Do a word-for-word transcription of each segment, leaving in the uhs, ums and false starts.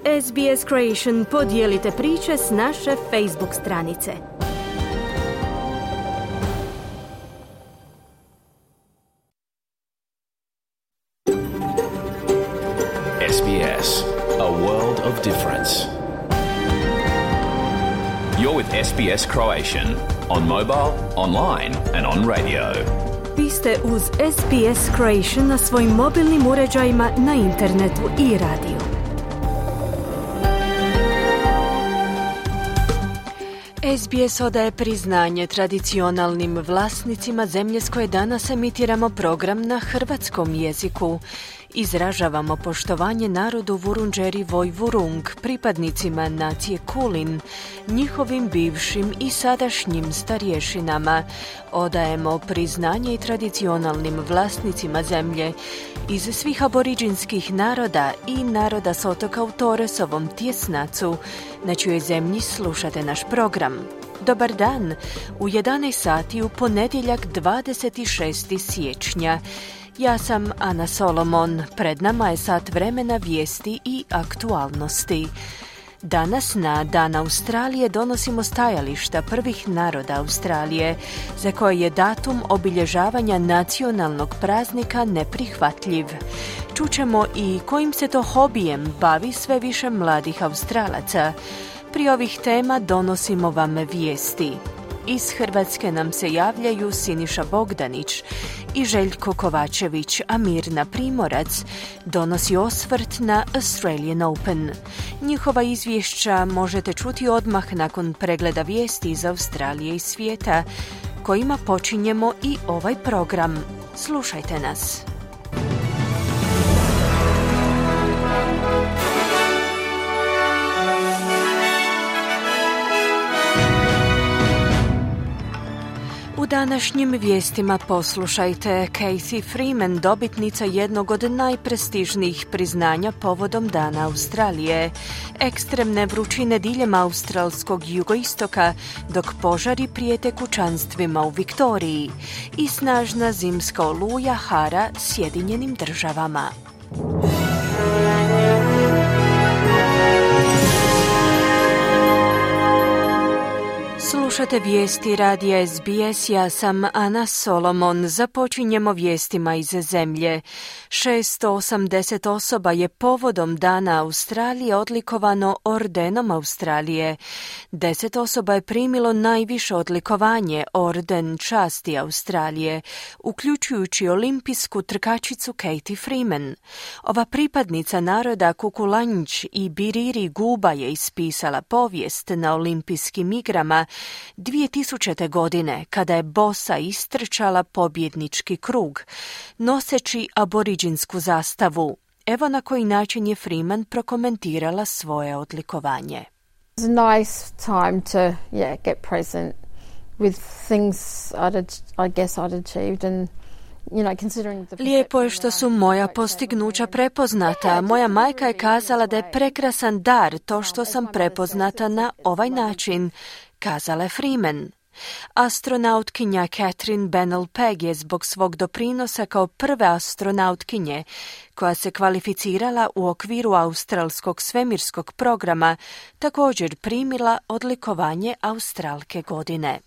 S B S Croatian podijelite priče s naše Facebook stranice. S B S, a world of difference. You're with S B S Croatian on mobile, online and on radio. Vi ste uz S B S Croatian na svojim mobilnim uređajima, na internetu i radiju. S B S odaje priznanje tradicionalnim vlasnicima zemlje s koje danas emitiramo program na hrvatskom jeziku. Izražavamo poštovanje narodu Vurundjeri Vojvurung, pripadnicima nacije Kulin, njihovim bivšim i sadašnjim starješinama. Odajemo priznanje i tradicionalnim vlasnicima zemlje iz svih aboriđinskih naroda i naroda s otoka u Torresovom tjesnacu, na čijoj zemlji slušate naš program. Dobar dan, u jedanaest sati u ponedjeljak dvadeset šestog siječnja. Ja sam Ana Solomon, pred nama je sat vremena vijesti i aktualnosti. Danas na Dan Australije donosimo stajališta prvih naroda Australije, za koje je datum obilježavanja nacionalnog praznika neprihvatljiv. Čućemo i kojim se to hobijem bavi sve više mladih Australaca. Pri ovih tema donosimo vam vijesti. Iz Hrvatske nam se javljaju Siniša Bogdanić i Željko Kovačević, a Mirna Primorac donosi osvrt na Australian Open. Njihova izvješća možete čuti odmah nakon pregleda vijesti iz Australije i svijeta, kojima počinjemo i ovaj program. Slušajte nas. U današnjim vijestima poslušajte: Cathy Freeman, dobitnica jednog od najprestižnijih priznanja povodom Dana Australije, ekstremne vrućine diljem australskog jugoistoka, dok požari prijete kućanstvima u Viktoriji, i snažna zimska oluja hara Sjedinjenim državama. Slušate vijesti radija S B S, ja sam Ana Solomon. Započinjemo vijestima iz zemlje. šesto osamdeset osoba je povodom Dana Australije odlikovano Ordenom Australije. Deset osoba je primilo najviše odlikovanje, Orden časti Australije, uključujući olimpijsku trkačicu Cathy Freeman. Ova pripadnica naroda Kukulanjč i Biriri Guba je ispisala povijest na olimpijskim igrama dvije tisućite. godine, kada je bosa istrčala pobjednički krug, noseći aboriđinsku zastavu. Evo na koji način je Freeman prokomentirala svoje odlikovanje. It's a nice time to yeah, get present with things I'd, I guess I'd achieved and Lijepo je što su moja postignuća prepoznata. Moja majka je kazala da je prekrasan dar to što sam prepoznata na ovaj način, kazala je Freeman. Astronautkinja Catherine Bennell-Pegg je zbog svog doprinosa kao prve astronautkinje koja se kvalificirala u okviru australskog svemirskog programa također primila odlikovanje Australke godine.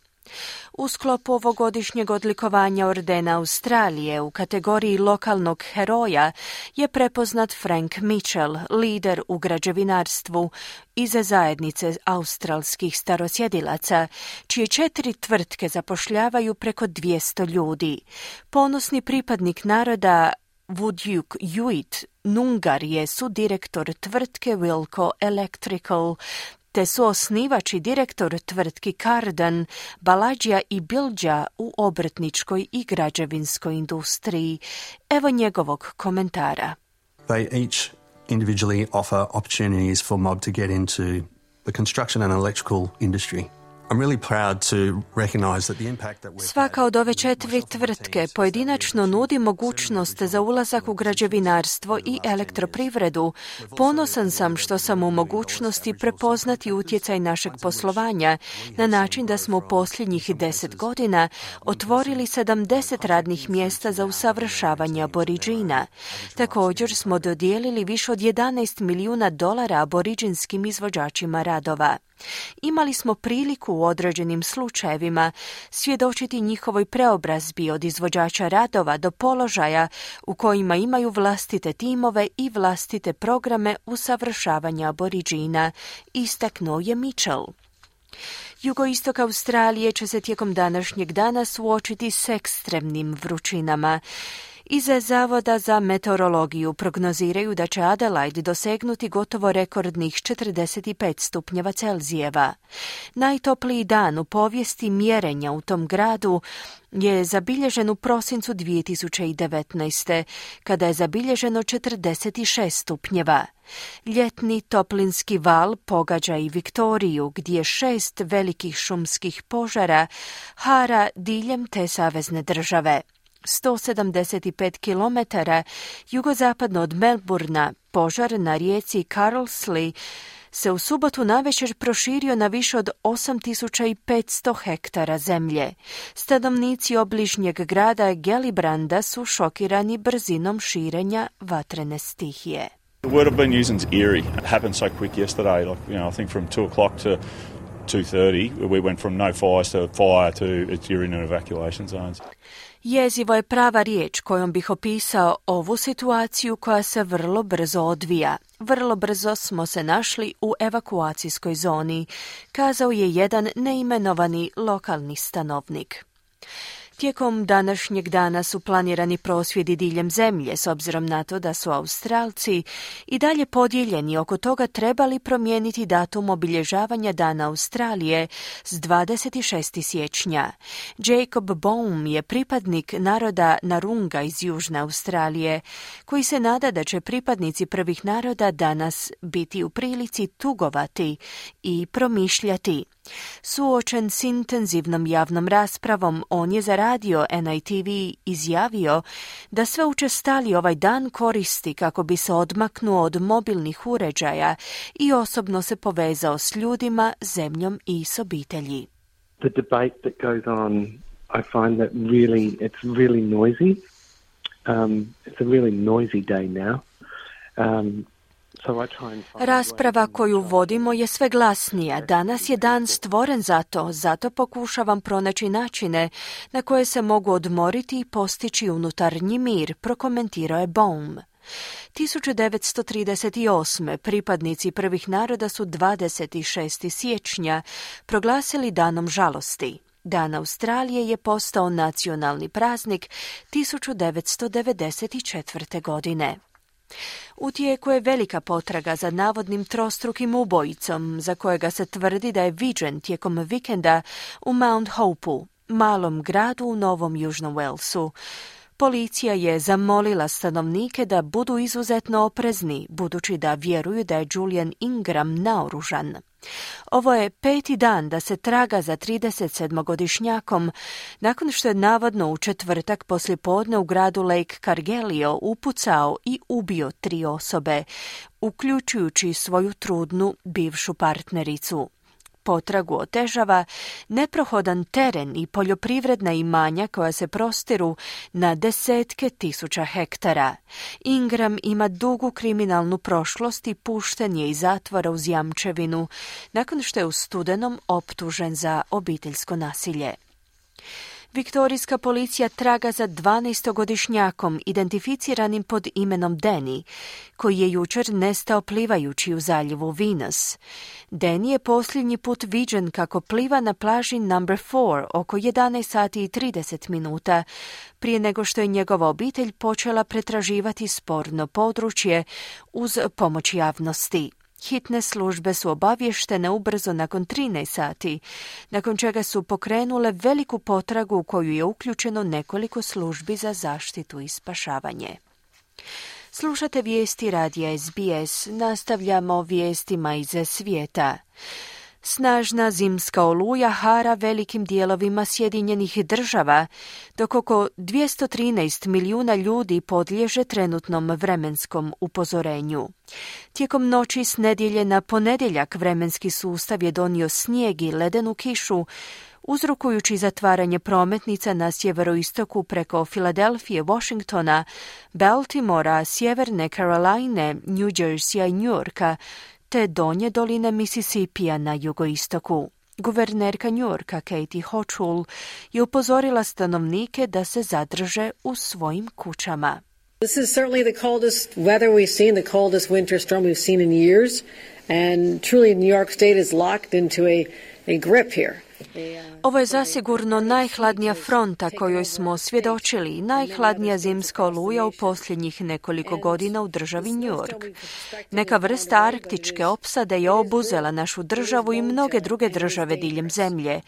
U sklopu ovogodišnjeg odlikovanja Ordena Australije u kategoriji lokalnog heroja je prepoznat Frank Mitchell, lider u građevinarstvu iz zajednice australskih starosjedilaca, čije četiri tvrtke zapošljavaju preko dvjesto ljudi. Ponosni pripadnik naroda Wudjuk Yuit Nungar je sudirektor tvrtke Wilco Electrical, te su osnivač i direktor tvrtki Cardan, Baladja i Bildja u obrtničkoj i građevinskoj industriji. Evo njegovog komentara. They each individually offer opportunities for mob to get into the construction and electrical industry. Svaka od ove četiri tvrtke pojedinačno nudi mogućnost za ulazak u građevinarstvo i elektroprivredu. Ponosan sam što sam u mogućnosti prepoznati utjecaj našeg poslovanja na način da smo u posljednjih deset godina otvorili sedamdeset radnih mjesta za usavršavanje aboriđina. Također smo dodijelili više od jedanaest milijuna dolara aboriđinskim izvođačima radova. Imali smo priliku u određenim slučajevima svjedočiti njihovoj preobrazbi od izvođača radova do položaja u kojima imaju vlastite timove i vlastite programe usavršavanja aboriđina, istaknuo je Mitchell. Jugoistok Australije će se tijekom današnjeg dana suočiti s ekstremnim vrućinama. Iz Zavoda za meteorologiju prognoziraju da će Adelaide dosegnuti gotovo rekordnih četrdeset pet stupnjeva Celzijeva. Najtopliji dan u povijesti mjerenja u tom gradu je zabilježen u prosincu dvije tisuće devetnaeste. kada je zabilježeno četrdeset šest stupnjeva. Ljetni toplinski val pogađa i Viktoriju, gdje šest velikih šumskih požara hara diljem te savezne države. sto sedamdeset pet kilometara jugozapadno od Melbourna požar na rijeci Carlsley se u subotu navečer proširio na više od osam tisuća petsto hektara zemlje. Stanovnici obližnjeg grada Gellibranda su šokirani brzinom širenja vatrene stihije. The word I've been using is eerie. It happened so quick yesterday, like, you know, I think from two o'clock to two thirty, we went from no fires to fire to it's you're in evacuation zones. Jezivo je prava riječ kojom bih opisao ovu situaciju koja se vrlo brzo odvija. Vrlo brzo smo se našli u evakuacijskoj zoni, kazao je jedan neimenovani lokalni stanovnik. Tijekom današnjeg dana su planirani prosvjedi diljem zemlje, s obzirom na to da su Australci i dalje podijeljeni oko toga trebali promijeniti datum obilježavanja Dana Australije s dvadeset šestog siječnja. Jacob Baum je pripadnik naroda Narunga iz Južne Australije, koji se nada da će pripadnici prvih naroda danas biti u prilici tugovati i promišljati. Suočen s intenzivnom javnom raspravom, on je za radio N I T V izjavio da sve učestaliji ovaj dan koristi kako bi se odmaknuo od mobilnih uređaja i osobno se povezao s ljudima, zemljom i s obitelji. The debate that goes on, I find that really, it's really noisy. Um, it's a really noisy day now. Um, Rasprava koju vodimo je sve glasnija. Danas je dan stvoren za to, zato pokušavam pronaći načine na koje se mogu odmoriti i postići unutarnji mir, prokomentirao je Baum. tisuću devetsto trideset osme. pripadnici prvih naroda su dvadeset šestog siječnja proglasili danom žalosti. Dan Australije je postao nacionalni praznik tisuću devetsto devedeset četvrte. godine. U tijeku je velika potraga za navodnim trostrukim ubojicom, za kojega se tvrdi da je viđen tijekom vikenda u Mount Hopeu, malom gradu u Novom Južnom Walesu. Policija je zamolila stanovnike da budu izuzetno oprezni, budući da vjeruju da je Julian Ingram naoružan. Ovo je peti dan da se traga za trideset sedmogodišnjakom, nakon što je navodno u četvrtak poslijepodne u gradu Lake Cargelio upucao i ubio tri osobe, uključujući svoju trudnu bivšu partnericu. Potragu otežava neprohodan teren i poljoprivredna imanja koja se prostiru na desetke tisuća hektara. Ingram ima dugu kriminalnu prošlost i pušten je iz zatvora uz jamčevinu, nakon što je u studenom optužen za obiteljsko nasilje. Viktorijska policija traga za dvanaestogodišnjakom identificiranim pod imenom Danny, koji je jučer nestao plivajući u zaljevu Venus. Danny je posljednji put viđen kako pliva na plaži number four oko jedanaest sati i trideset minuta, prije nego što je njegova obitelj počela pretraživati sporno područje uz pomoć javnosti. Hitne službe su obavještene ubrzo nakon trinaest sati, nakon čega su pokrenule veliku potragu u koju je uključeno nekoliko službi za zaštitu i spašavanje. Slušate vijesti radija S B S, nastavljamo vijestima iz svijeta. Snažna zimska oluja hara velikim dijelovima Sjedinjenih država, dok oko dvjesto trinaest milijuna ljudi podliježe trenutnom vremenskom upozorenju. Tijekom noći s nedjelje na ponedjeljak vremenski sustav je donio snijeg i ledenu kišu, uzrokujući zatvaranje prometnica na sjeveroistoku preko Filadelfije, Washingtona, Baltimora, Sjeverne Caroline, New Jerseya i New Yorka, te donje doline Mississippija na jugoistoku. Guvernerka New Yorka Katie Hochul je upozorila stanovnike da se zadrže u svojim kućama. This is certainly the coldest weather we've seen, the coldest winter storm we've seen in years, and truly New York State is locked into a, a grip here. Ovo je zasigurno najhladnija fronta kojoj smo svjedočili i najhladnija zimska oluja u posljednjih nekoliko godina u državi New York. Neka vrsta arktičke opsade je obuzela našu državu i mnoge druge države diljem zemlje.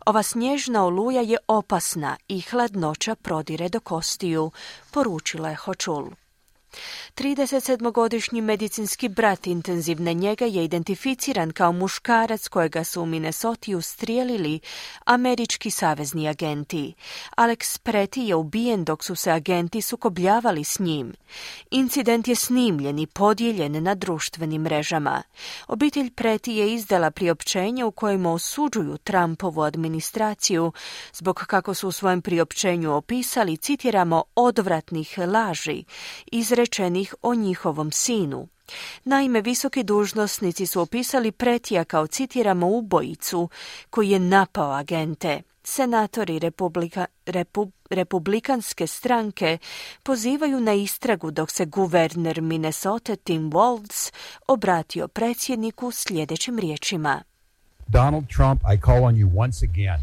Ova snježna oluja je opasna i hladnoća prodire do kostiju, poručila je Hochul. tridesetsedmogodišnji medicinski brat intenzivne njege je identificiran kao muškarac kojega su u Minnesoti ustrijelili američki savezni agenti. Alex Preti je ubijen dok su se agenti sukobljavali s njim. Incident je snimljen i podijeljen na društvenim mrežama. Obitelj Preti je izdala priopćenje u kojem osuđuju Trumpovu administraciju zbog, kako su u svojem priopćenju opisali, citiramo, odvratnih laži izrečenih o njihovom sinu. Naime, visoki dužnosnici su opisali Pretija kao, citiramo, ubojicu koji je napao agente. Senatori Republika, Repu, Republikanske stranke pozivaju na istragu dok se guverner Minnesota Tim Walz obratio predsjedniku sljedećim riječima. Donald Trump, I call on you once again.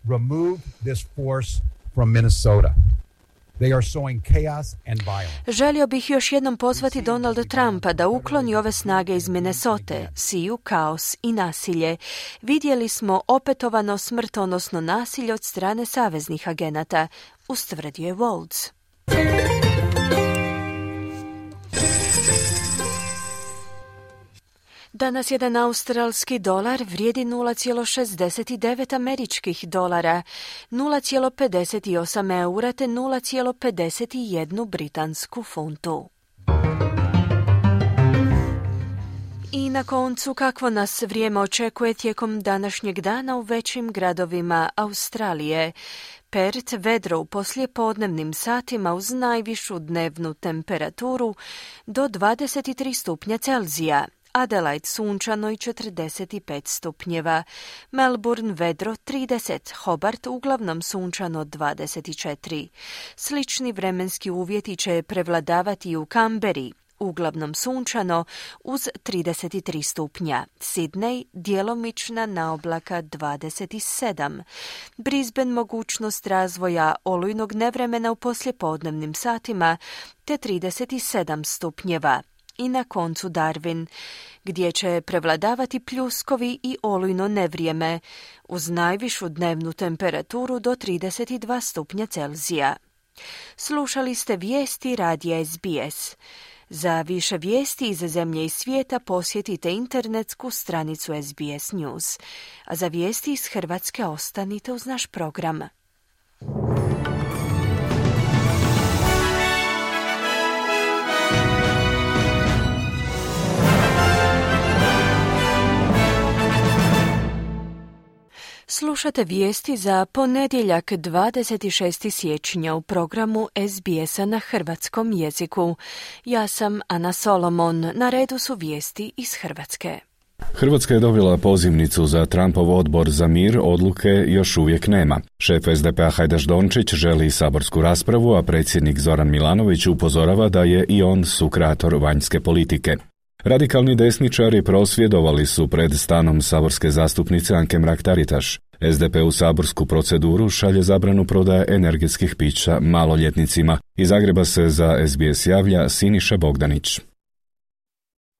Remove this force from Minnesota. They are sowing chaos and violence. Želio bih još jednom pozvati Donalda Trumpa da ukloni ove snage iz Minnesote, siju kaos i nasilje. Vidjeli smo opetovano smrtonosno nasilje od strane saveznih agenata, ustvrdio je Walz. Danas jedan australski dolar vrijedi nula zarez šezdeset devet američkih dolara, nula zarez pedeset osam eura te nula zarez pedeset jedan britansku funtu. I na koncu, kakvo nas vrijeme očekuje tijekom današnjeg dana u većim gradovima Australije. Perth vedro u poslijepodnevnim satima uz najvišu dnevnu temperaturu do dvadeset tri stupnja Celzija. Adelaide sunčano i četrdeset pet stupnjeva, Melbourne vedro trideset, Hobart uglavnom sunčano dvadeset četiri. Slični vremenski uvjeti će prevladavati i u Canberri, uglavnom sunčano uz trideset tri stupnja, Sydney djelomična naoblaka dvadeset sedam, Brisbane mogućnost razvoja olujnog nevremena u poslijepodnevnim satima te trideset sedam stupnjeva. I na koncu Darwin, gdje će prevladavati pljuskovi i olujno nevrijeme, uz najvišu dnevnu temperaturu do trideset dva stupnja Celzija. Slušali ste vijesti radija S B S. Za više vijesti iz zemlje i svijeta posjetite internetsku stranicu S B S News. A za vijesti iz Hrvatske ostanite uz naš program. Slušate vijesti za ponedjeljak dvadeset šestog siječnja u programu S B S-a na hrvatskom jeziku. Ja sam Ana Solomon, na redu su vijesti iz Hrvatske. Hrvatska je dobila pozivnicu za Trumpov odbor za mir, odluke još uvijek nema. Šef S D P-a Hajdaš Dončić želi saborsku raspravu, a predsjednik Zoran Milanović upozorava da je i on sukreator vanjske politike. Radikalni desničari prosvjedovali su pred stanom saborske zastupnice Anke Mrak-Taritaš. S D P u saborsku proceduru šalje zabranu prodaje energetskih pića maloljetnicima. Iz Zagreba se za S B S javlja Siniša Bogdanić.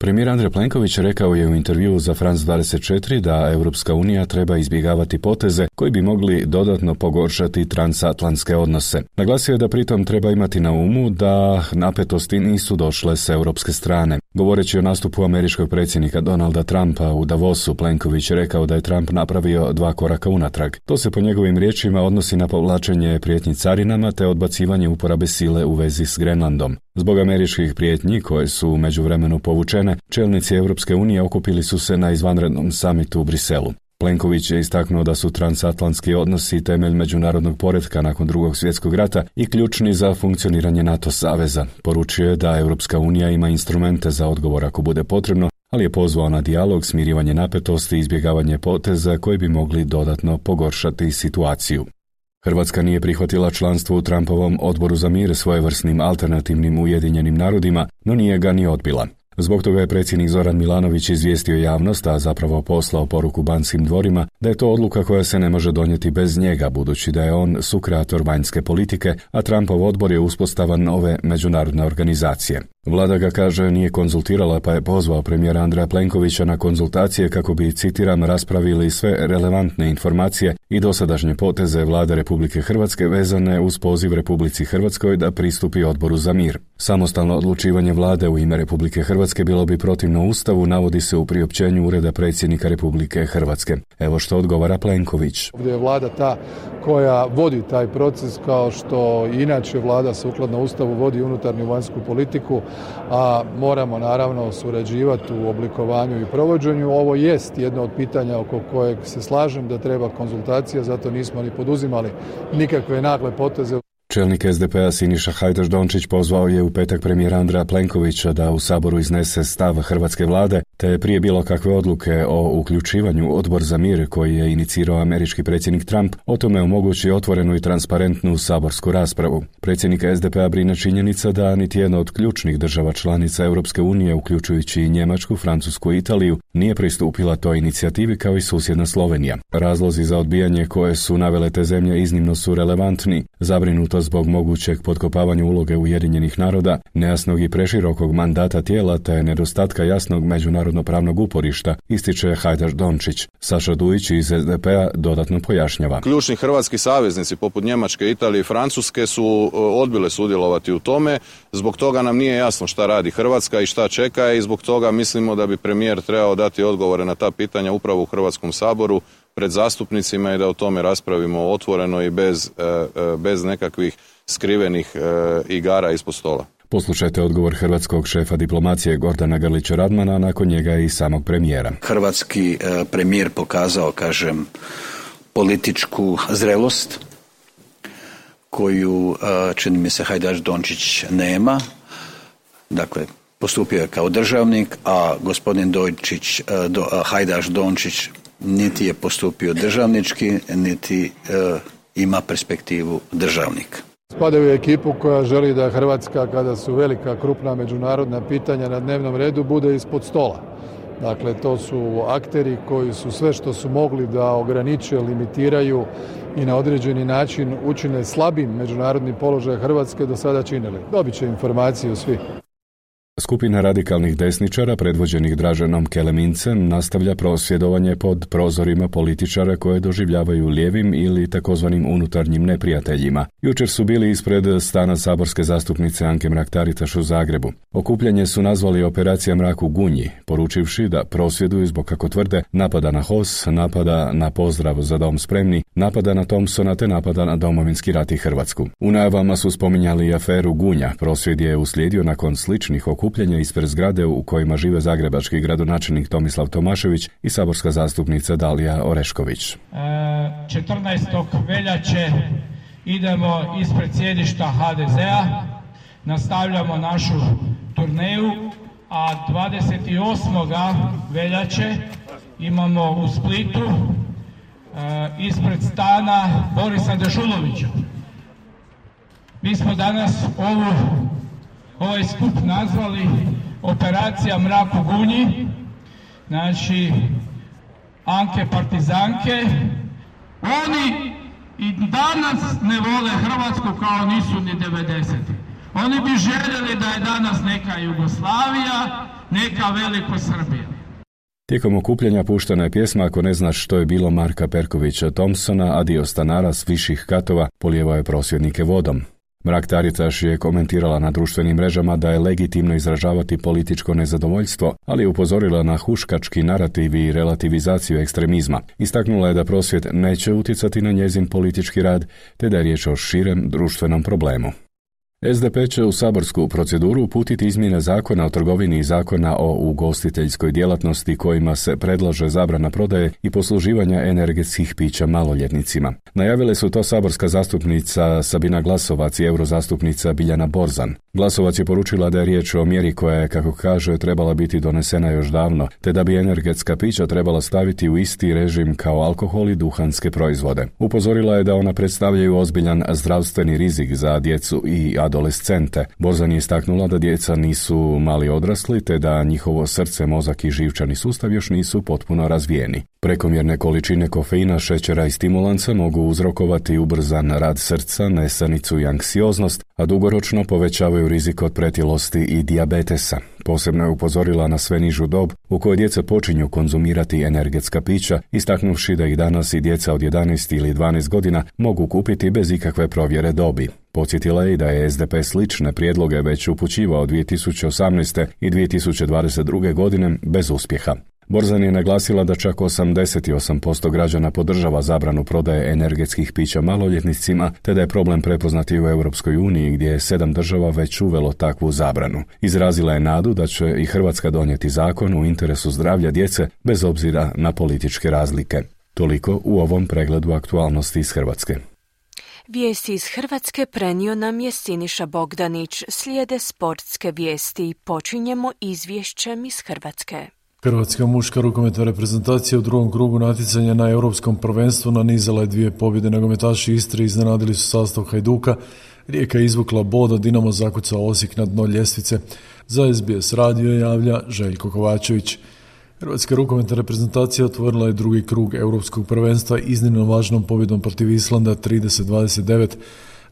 Premijer Andrej Plenković rekao je u intervjuu za France dvadeset četiri da Europska unija treba izbjegavati poteze koji bi mogli dodatno pogoršati transatlantske odnose. Naglasio je da pritom treba imati na umu da napetosti nisu došle s europske strane. Govoreći o nastupu američkog predsjednika Donalda Trumpa u Davosu, Plenković je rekao da je Trump napravio dva koraka unatrag. To se po njegovim riječima odnosi na povlačenje prijetnji carinama te odbacivanje uporabe sile u vezi s Grenlandom. Zbog američkih prijetnji koje su u međuvremenu povučene, čelnici Europske unije okupili su se na izvanrednom samitu u Briselu. Plenković je istaknuo da su transatlantski odnosi temelj međunarodnog poretka nakon drugog svjetskog rata i ključni za funkcioniranje NATO saveza. Poručio je da Europska unija ima instrumente za odgovor ako bude potrebno, ali je pozvao na dijalog, smirivanje napetosti i izbjegavanje poteza koji bi mogli dodatno pogoršati situaciju. Hrvatska nije prihvatila članstvo u Trumpovom odboru za mir svojevrsnim alternativnim Ujedinjenim narodima, no nije ga ni odbila. Zbog toga je predsjednik Zoran Milanović izvijestio javnost, a zapravo poslao poruku Banskim dvorima, da je to odluka koja se ne može donijeti bez njega, budući da je on sukreator vanjske politike, a Trumpov odbor je uspostava nove međunarodne organizacije. Vlada ga, kaže, nije konzultirala, pa je pozvao premijera Andreja Plenkovića na konzultacije kako bi, citiram, raspravili sve relevantne informacije i dosadašnje poteze Vlade Republike Hrvatske vezane uz poziv Republici Hrvatskoj da pristupi odboru za mir. Samostalno odlučivanje Vlade u ime Republike Hrvatske bilo bi protivno Ustavu, navodi se u priopćenju Ureda predsjednika Republike Hrvatske. Evo što odgovara Plenković. Ovdje je Vlada ta koja vodi taj proces, kao što inače Vlada sukladno Ustavu vodi unutarnju vanjsku politiku, a moramo naravno surađivati u oblikovanju i provođenju. Ovo jest jedno od pitanja oko kojeg se slažem da treba konzultacija, zato nismo ni poduzimali nikakve nagle poteze. Čelnik es de pe a Siniša Hajdaš Dončić pozvao je u petak premijera Andreja Plenkovića da u Saboru iznese stav hrvatske vlade, te prije bilo kakve odluke o uključivanju odbor za mir koji je inicirao američki predsjednik Trump, o tome omogući otvorenu i transparentnu saborsku raspravu. Predsjednika es de pe a brine činjenica da niti jedna od ključnih država članica Europske unije, uključujući i Njemačku, Francusku i Italiju, nije pristupila toj inicijativi kao i susjedna Slovenija. Razlozi za odbijanje koje su navele te zemlje iznimno su relevantni, zabrinuto zbog mogućeg potkopavanja uloge Ujedinjenih naroda, nejasnog i preširokog mandata tijela te nedostatka jasnog međunarodno-pravnog uporišta, ističe Hajdaš Dončić. Saša Dujić iz es de pe a dodatno pojašnjava. Ključni hrvatski saveznici poput Njemačke, Italije i Francuske su odbile sudjelovati u tome. Zbog toga nam nije jasno šta radi Hrvatska i šta čeka i zbog toga mislimo da bi premijer trebao dati odgovore na ta pitanja upravo u Hrvatskom saboru pred zastupnicima i da o tome raspravimo otvoreno i bez, bez nekakvih skrivenih igara ispod stola. Poslušajte odgovor hrvatskog šefa diplomacije Gordana Grlića Radmana, nakon njega i samog premijera. Hrvatski premijer pokazao, kažem, političku zrelost koju, čini mi se, Hajdaš Dončić nema. Dakle, postupio je kao državnik, a gospodin Dončić, do, Hajdaš Dončić niti je postupio državnički, niti e, ima perspektivu državnika. Spadaju u ekipu koja želi da Hrvatska, kada su velika, krupna međunarodna pitanja na dnevnom redu, bude ispod stola. Dakle, to su akteri koji su sve što su mogli da ograniče, limitiraju i na određeni način učine slabim međunarodni položaj Hrvatske do sada činili. Dobit će informaciju svi. Skupina radikalnih desničara, predvođenih Draženom Kelemincem, nastavlja prosvjedovanje pod prozorima političara koje doživljavaju lijevim ili takozvanim unutarnjim neprijateljima. Jučer su bili ispred stana saborske zastupnice Anke Mrak-Taritaš u Zagrebu. Okupljanje su nazvali operacija Mrak u Gunji, poručivši da prosvjeduju zbog, kako tvrde, napada na H O S, napada na pozdrav za dom spremni, napada na Thompsona te napada na Domovinski rat i Hrvatsku. U najavama su spominjali aferu Gunja. Prosvjed je uslijedio nakon sličnih okupljanja ispred zgrade u kojima žive zagrebački gradonačelnik Tomislav Tomašević i saborska zastupnica Dalija Orešković. četrnaestog veljače idemo ispred sjedišta ha de zea, nastavljamo našu turneju, a dvadeset osmog veljače imamo u Splitu ispred stana Borisa Dežulovića. Mi smo danas ovu ovaj skup nazvali operacija Mrak u Gunji, znači Anke partizanke. Oni i danas ne vole Hrvatsku kao nisu ni devedeseti. Oni bi željeli da je danas neka Jugoslavija, neka veliko Srbija. Tijekom okupljanja puštana je pjesma Ako ne znaš što je bilo Marka Perkovića Thompsona, a dio stanara s viših katova polijevao je prosvjednike vodom. Mrak-Taritaš je komentirala na društvenim mrežama da je legitimno izražavati političko nezadovoljstvo, ali je upozorila na huškački narativ i relativizaciju ekstremizma. Istaknula je da prosvjed neće utjecati na njezin politički rad, te da je riječ o širem društvenom problemu. S D P će u saborsku proceduru uputiti izmjene zakona o trgovini i zakona o ugostiteljskoj djelatnosti kojima se predlaže zabrana prodaje i posluživanja energetskih pića maloljetnicima. Najavile su to saborska zastupnica Sabina Glasovac i eurozastupnica Biljana Borzan. Glasovac je poručila da je riječ o mjeri koja je, kako kaže, trebala biti donesena još davno, te da bi energetska pića trebala staviti u isti režim kao alkohol i duhanske proizvode. Upozorila je da ona predstavljaju ozbiljan zdravstveni rizik za djecu i adolescente. Borzan je istaknula da djeca nisu mali odrasli, te da njihovo srce, mozak i živčani sustav još nisu potpuno razvijeni. Prekomjerne količine kofeina, šećera i stimulansa mogu uzrokovati ubrzan rad srca, nesanicu i anksioznost, a dugoročno povećavaju rizik od pretilosti i dijabetesa. Posebno je upozorila na sve nižu dob u kojoj djeca počinju konzumirati energetska pića, istaknuvši da ih danas i djeca od jedanaest ili dvanaest godina mogu kupiti bez ikakve provjere dobi. Podsjetila je i da je S D P slične prijedloge već upućivao dvije tisuće osamnaeste i dvije tisuće dvadeset druge godine bez uspjeha. Borzan je naglasila da čak osamdeset osam posto građana podržava zabranu prodaje energetskih pića maloljetnicima, te da je problem prepoznati u Europskoj uniji gdje je sedam država već uvelo takvu zabranu. Izrazila je nadu da će i Hrvatska donijeti zakon u interesu zdravlja djece bez obzira na političke razlike. Toliko u ovom pregledu aktualnosti iz Hrvatske. Vijesti iz Hrvatske prenio nam je Siniša Bogdanić. Slijede sportske vijesti. Počinjemo izvješćem iz Hrvatske. Hrvatska muška rukometna reprezentacija u drugom krugu natjecanja na Europskom prvenstvu nanizala je dvije pobjede. Nogometaši Istre iznenadili su sastav Hajduka, Rijeka je izvukla bod, a Dinamo zakucao Osijek na dno ljestvice. Za S B S radio javlja Željko Kovačević. Hrvatska rukometna reprezentacija otvorila je drugi krug Europskog prvenstva iznimno važnom pobjedom protiv Islanda trideset dvadeset devet.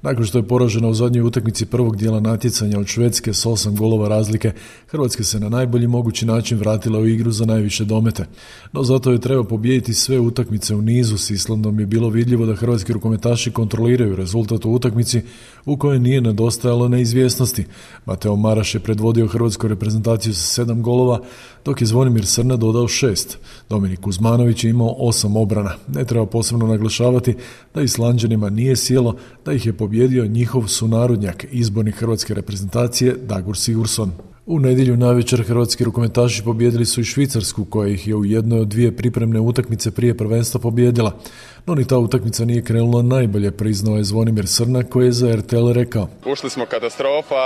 Nakon što je poražena u zadnjoj utakmici prvog dijela natjecanja od Švedske s osam golova razlike, Hrvatska se na najbolji mogući način vratila u igru za najviše domete. No zato je treba pobijediti sve utakmice u nizu. S Islandom je bilo vidljivo da hrvatski rukometaši kontroliraju rezultat u utakmici u kojoj nije nedostajalo neizvjesnosti. Mateo Maraš je predvodio hrvatsku reprezentaciju sa sedam golova, dok je Zvonimir Srna dodao šest. Dominik Kuzmanović je imao osam obrana. Ne treba posebno naglašavati da Islanđanima nije sjelo, da ih je pobjedio njihov sunarodnjak, izbornik hrvatske reprezentacije Dagur Sigurdsson. U nedjelju navečer hrvatski rukometaši pobijedili su i Švicarsku, koja ih je u jednoj od dvije pripremne utakmice prije prvenstva pobijedila. No ni ta utakmica nije krenula najbolje, priznao je Zvonimir Srna, koji je za R T L rekao. Ušli smo katastrofa,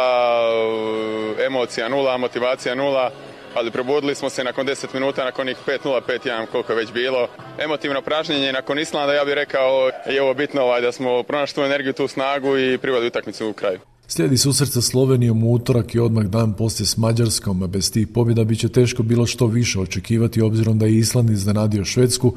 emocija nula, motivacija nula, ali probudili smo se nakon deset minuta, nakon njih pet nula, pet jedan, koliko je već bilo. Emotivno pražnjenje nakon Islanda, ja bih rekao, je ovo bitno ovaj, da smo pronašli tu energiju, tu snagu i priveli utakmicu u kraju. Slijedi susret sa Slovenijom u utorak i odmah dan poslije s Mađarskom, a bez tih pobjeda bit će teško bilo što više očekivati obzirom da je Island iznenadio Švedsku,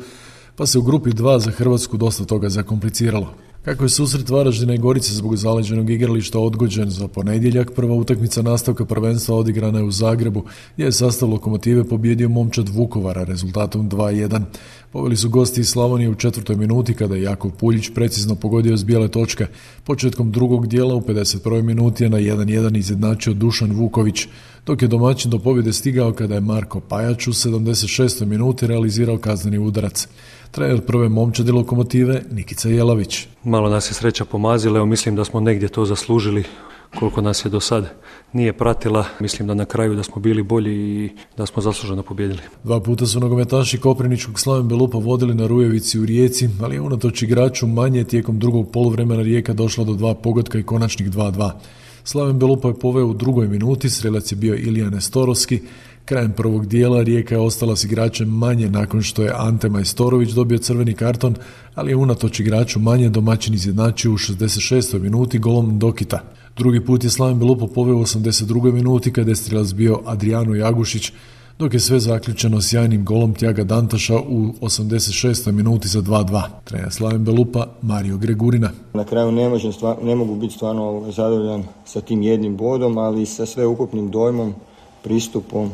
pa se u grupi dva za Hrvatsku dosta toga zakompliciralo. Kako je susret Varaždina i Gorice zbog zaleđenog igrališta odgođen za ponedjeljak, prva utakmica nastavka prvenstva odigrana je u Zagrebu, gdje je sastav Lokomotive pobjedio momčad Vukovara rezultatom dva jedan. Poveli su gosti iz Slavonije u četvrtoj minuti kada je Jakov Puljić precizno pogodio s bijele točke. Početkom drugog dijela u pedeset prvoj minuti je na jedan jedan izjednačio Dušan Vuković, dok je domaćin do pobjede stigao kada je Marko Pajač u sedamdeset šestoj minuti realizirao kazneni udarac. Trener prve momčadi Lokomotive Nikica Jelavić. Malo nas je sreća pomazila, evo mislim da smo negdje to zaslužili, koliko nas je do sad nije pratila. Mislim da na kraju da smo bili bolji i da smo zasluženo pobijedili. Dva puta su nogometaši koprivničkog Slaven Belupa vodili na Rujevici u Rijeci, ali je unatoč igraču manje tijekom drugog poluvremena Rijeka došla do dva pogotka i konačnih dva dva. Slaven Belupa je poveo u drugoj minuti, strelac je bio Ilija Nestorovski. Krajem prvog dijela Rijeka je ostala s igračem manje nakon što je Ante Majstorović dobio crveni karton, ali je unatoč igraču manje domaćin izjednačio u šezdeset šestoj minuti golom Dokita. Drugi put je Slaven Belupa poveo u osamdeset drugoj minuti kada je strelac bio Adriano Jagušić, dok je sve zaključeno sjajnim golom Tjaga Dantaša u osamdeset šestoj minuti za dva dva. Trener Slaven Belupa Mario Gregurina. Na kraju ne, možem, ne mogu biti stvarno zadovoljan sa tim jednim bodom, ali sa sveukupnim dojmom, pristupom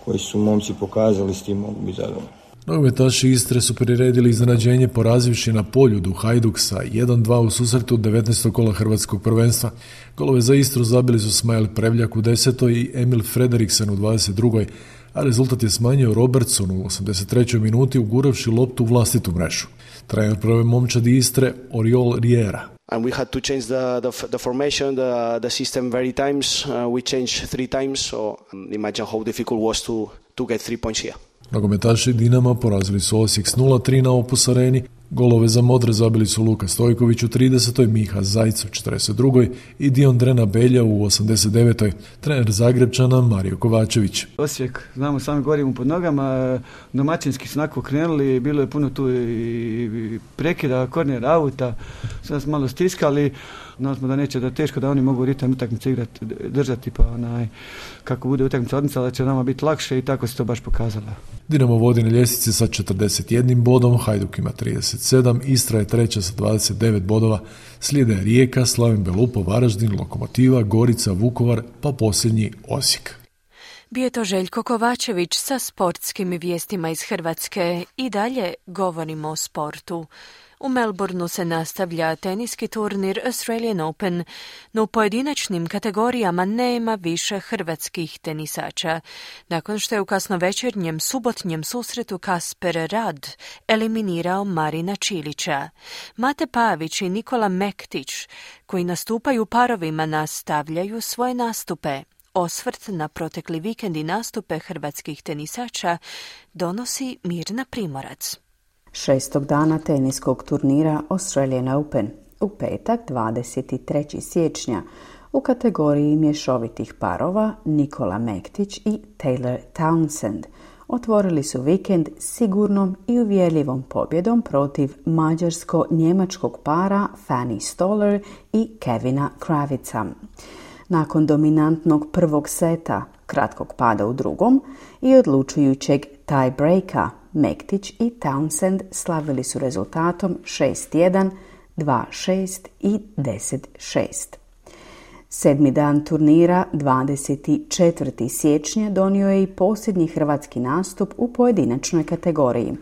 koji su momci pokazali, s tim mogu biti zadovoljni. Nogometaši Istre su priredili iznenađenje porazivši na Poljudu Hajduk sa jedan dva u susretu devetnaestog kola hrvatskog prvenstva. Golove za Istru zabili su Smajl Prevljak u desetoj i Emil Frederiksen u dvadeset drugoj, a rezultat je smanjio Robertson u osamdeset trećoj minuti uguravši loptu u vlastitu mrežu. Trener prve momčadi Istre Oriol Riera. And we had to change the, the, the formation, the, the system very times. Uh, we changed three times, so imagine how difficult was to, to get three points here. Nogometaši Dinama porazili su Osijek s nula tri na Opus Areni. Golove za Modre zabili su Luka Stojković u tridesetoj, Miha Zajc u četrdeset drugoj i Dion Drena Belja u osamdeset devetoj. Trener Zagrebčana Mario Kovačević. Osijek, znamo, sami govorimo pod nogama, domaćinski su onako krenuli, bilo je puno tu i prekida, korner, auta, sad smo malo stiskali, znali smo da neće, da teško da oni mogu ritam utakmice igrati, držati, pa onaj, kako bude utakmica odmicala, da će nama biti lakše i tako se to baš pokazalo. Dinamo vodi na ljestvici sa četrdeset jednim bodom, Hajduk ima trideset sedam, Istra je treća sa dvadeset devet bodova, slijede Rijeka, Slaven Belupo, Varaždin, Lokomotiva, Gorica, Vukovar, pa posljednji Osijek. Bio je to Željko Kovačević sa sportskim vijestima iz Hrvatske. I dalje govorimo o sportu. U Melbourneu se nastavlja teniski turnir Australian Open, no u pojedinačnim kategorijama nema više hrvatskih tenisača. Nakon što je u kasnovečernjem subotnjem susretu Kasper Rad eliminirao Marina Čilića. Mate Pavić i Nikola Mektić, koji nastupaju parovima, nastavljaju svoje nastupe. Osvrt na protekli vikend i nastupe hrvatskih tenisača donosi Mirna Primorac. Šestog dana teniskog turnira Australian Open u petak dvadeset trećeg siječnja u kategoriji mješovitih parova Nikola Mektić i Taylor Townsend otvorili su vikend sigurnom i uvjerljivom pobjedom protiv mađarsko-njemačkog para Fanny Stoller i Kevina Kravica. Nakon dominantnog prvog seta, kratkog pada u drugom i odlučujućeg tie-breaka, Mektić i Townsend slavili su rezultatom šest jedan, dva šest i deset šest. Sedmi dan turnira, dvadeset četvrtog siječnja, donio je i posljednji hrvatski nastup u pojedinačnoj kategoriji.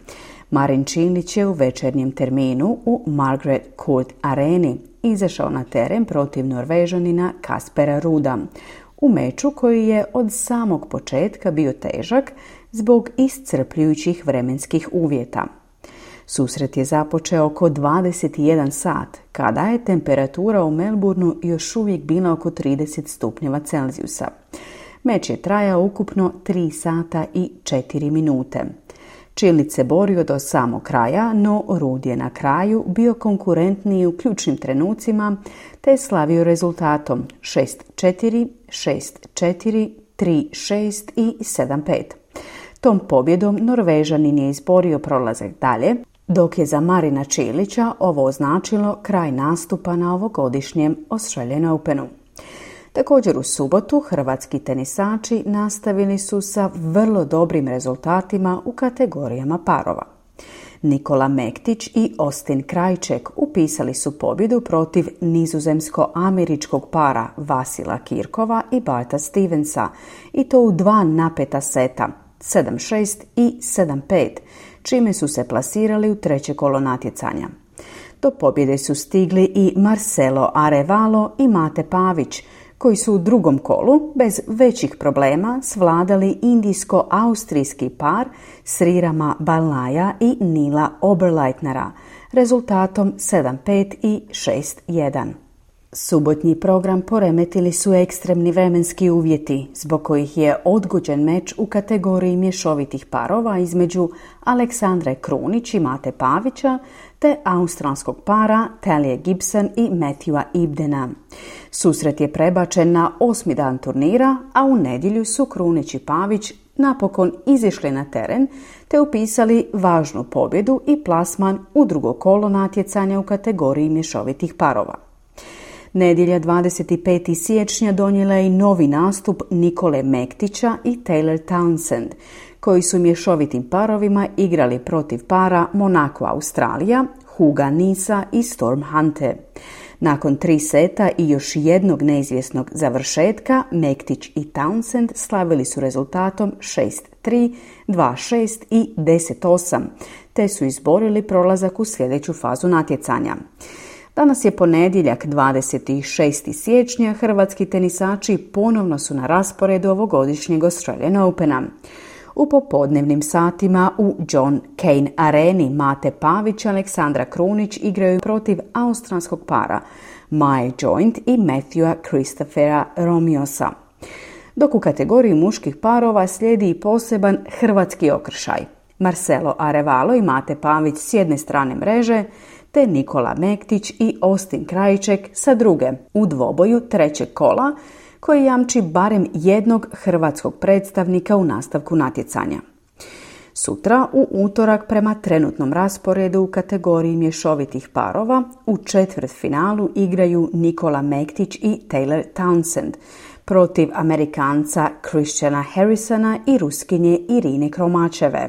Marin Čilić je u večernjem terminu u Margaret Court Areni izašao na teren protiv Norvežanina Kaspera Ruda, u meču koji je od samog početka bio težak zbog iscrpljujućih vremenskih uvjeta. Susret je započeo oko dvadeset jedan sat, kada je temperatura u Melbourneu još uvijek bila oko trideset stupnjeva Celzijusa. Meč je trajao ukupno tri sata i četiri minute. Čilić se borio do samog kraja, no Rud je na kraju bio konkurentniji u ključnim trenucima, te je slavio rezultatom šest četiri, šest četiri, tri šest i sedam pet. Tom pobjedom Norvežanin je izborio prolazak dalje, dok je za Marina Čilića ovo označilo kraj nastupa na ovogodišnjem Australian Openu. Također u subotu hrvatski tenisači nastavili su sa vrlo dobrim rezultatima u kategorijama parova. Nikola Mektić i Austin Krajček upisali su pobjedu protiv nizozemsko-američkog para Vasila Kirkova i Barta Stevensa, i to u dva napeta seta, sedam šest i sedam pet, čime su se plasirali u treće kolo natjecanja. Do pobjede su stigli i Marcelo Arevalo i Mate Pavić, koji su u drugom kolu bez većih problema svladali indijsko-austrijski par Srirama Balnaja i Nila Oberleitnera rezultatom sedam pet i šest jedan. Subotnji program poremetili su ekstremni vremenski uvjeti, zbog kojih je odgođen meč u kategoriji mješovitih parova između Aleksandre Krunić i Mate Pavića te australskog para Talia Gibson i Matthewa Ibdena. Susret je prebačen na osmi dan turnira, a u nedjelju su Krunić i Pavić napokon izišli na teren te upisali važnu pobjedu i plasman u drugo kolo natjecanja u kategoriji mješovitih parova. Nedjelja dvadeset petog siječnja donijela je i novi nastup Nikole Mektića i Taylor Townsend, koji su mješovitim parovima igrali protiv para Monaco Australija, Huga Nisa i Storm Hunte. Nakon tri seta i još jednog neizvjesnog završetka, Mektić i Townsend slavili su rezultatom šest tri, dva šest i deset osam, te su izborili prolazak u sljedeću fazu natjecanja. Danas je ponedjeljak, dvadeset šestog siječnja, hrvatski tenisači ponovno su na rasporedu ovogodišnjeg Australian Opena. U popodnevnim satima u John Cain Areni Mate Pavić i Aleksandra Krunić igraju protiv australskog para Mae Joint i Matthewa Christophera Romiosa. Dok u kategoriji muških parova slijedi i poseban hrvatski okršaj. Marcelo Arevalo i Mate Pavić s jedne strane mreže, te Nikola Mektić i Austin Krajček sa druge u dvoboju trećeg kola, koji jamči barem jednog hrvatskog predstavnika u nastavku natjecanja. Sutra, u utorak, prema trenutnom rasporedu u kategoriji mješovitih parova, u četvrtfinalu igraju Nikola Mektić i Taylor Townsend protiv Amerikanca Christiana Harrisona i Ruskinje Irine Kromačeve.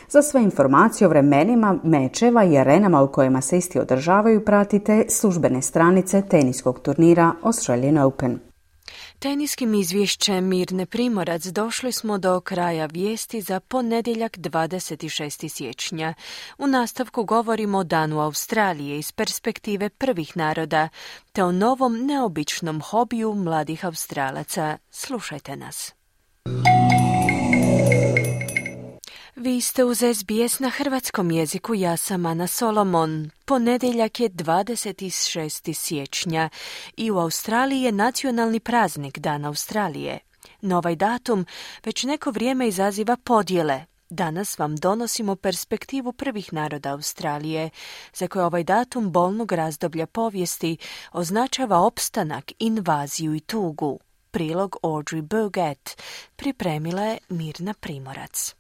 Za sve informacije o vremenima mečeva i arenama u kojima se isti održavaju pratite službene stranice teniskog turnira Australian Open. Teniskim izvješćem Mirne Primorac došli smo do kraja vijesti za ponedjeljak dvadeset šestog siječnja. U nastavku govorimo o Danu Australije iz perspektive prvih naroda, te o novom neobičnom hobiju mladih Australaca. Slušajte nas. Vi ste uz S B S na hrvatskom jeziku, ja sam Ana Solomon. Ponedjeljak je dvadeset šestog siječnja i u Australiji je nacionalni praznik Dan Australije. No ovaj datum već neko vrijeme izaziva podjele. Danas vam donosimo perspektivu prvih naroda Australije, za koje ovaj datum bolnog razdoblja povijesti označava opstanak, invaziju i tugu. Prilog Audrey Bogat pripremila je Mirna Primorac.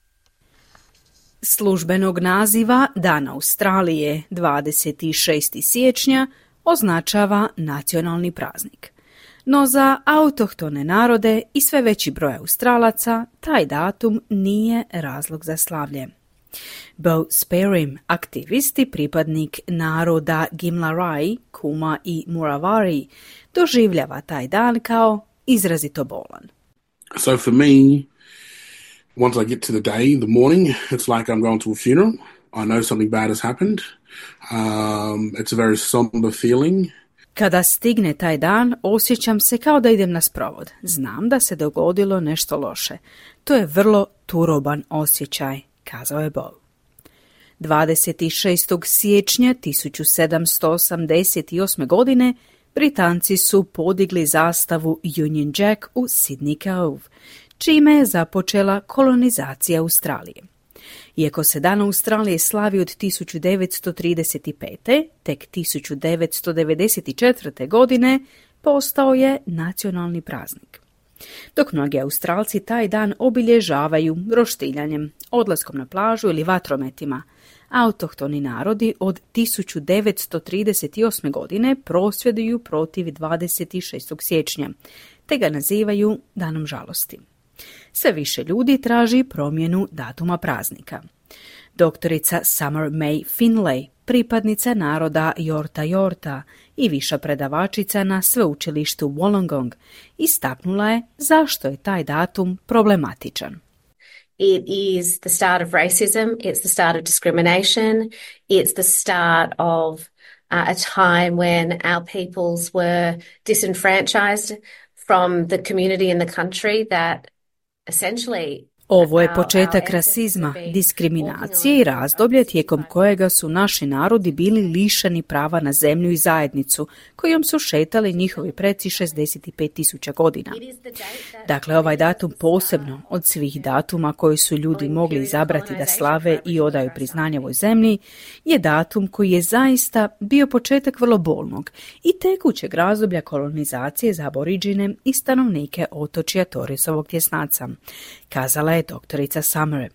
Službenog naziva Dan Australije dvadeset šestog siječnja označava nacionalni praznik. No za autohtone narode i sve veći broj Australaca taj datum nije razlog za slavlje. Bo Sperim, aktivist i pripadnik naroda Gimlarai, Kuma i Muravari, doživljava taj dan kao izrazito bolan. So for me, once I get to the day, the morning, it's like I'm going to a funeral. I know something bad has happened. Um, it's a very somber feeling. Kada stigne taj dan, osjećam se kao da idem na sprovod. Znam da se dogodilo nešto loše. To je vrlo turoban osjećaj, kazao je Bo. dvadeset šestog siječnja tisuću sedamsto osamdeset osme. godine Britanci su podigli zastavu Union Jack u Sydney Cove, čime je započela kolonizacija Australije. Iako se Dan Australije slavi od tisuću devetsto trideset pete. tek tisuću devetsto devedeset četvrte. godine postao je nacionalni praznik. Dok mnogi Australci taj dan obilježavaju roštiljanjem, odlaskom na plažu ili vatrometima, autohtoni narodi od tisuću devetsto trideset osme. godine prosvjeduju protiv dvadeset šestog siječnja, te ga nazivaju Danom žalosti. Sve više ljudi traži promjenu datuma praznika. Doktorica Summer May Finlay, pripadnica naroda Yorta Yorta i viša predavačica na sveučilištu Wollongong, istaknula je zašto je taj datum problematičan. It is the start of racism, it's the start of discrimination, it's the start of uh, a time when our peoples were disenfranchised from the community and the country that essentially Ovo je početak rasizma, diskriminacije i razdoblje tijekom kojega su naši narodi bili lišeni prava na zemlju i zajednicu, kojom su šetali njihovi preci šezdeset pet tisuća godina. Dakle, ovaj datum posebno od svih datuma koji su ljudi mogli izabrati da slave i odaju priznanje ovoj zemlji, je datum koji je zaista bio početak vrlo bolnog i tekućeg razdoblja kolonizacije za aboriđine i stanovnike otočja Torresovog tjesnaca, kazala je doktorica Summer.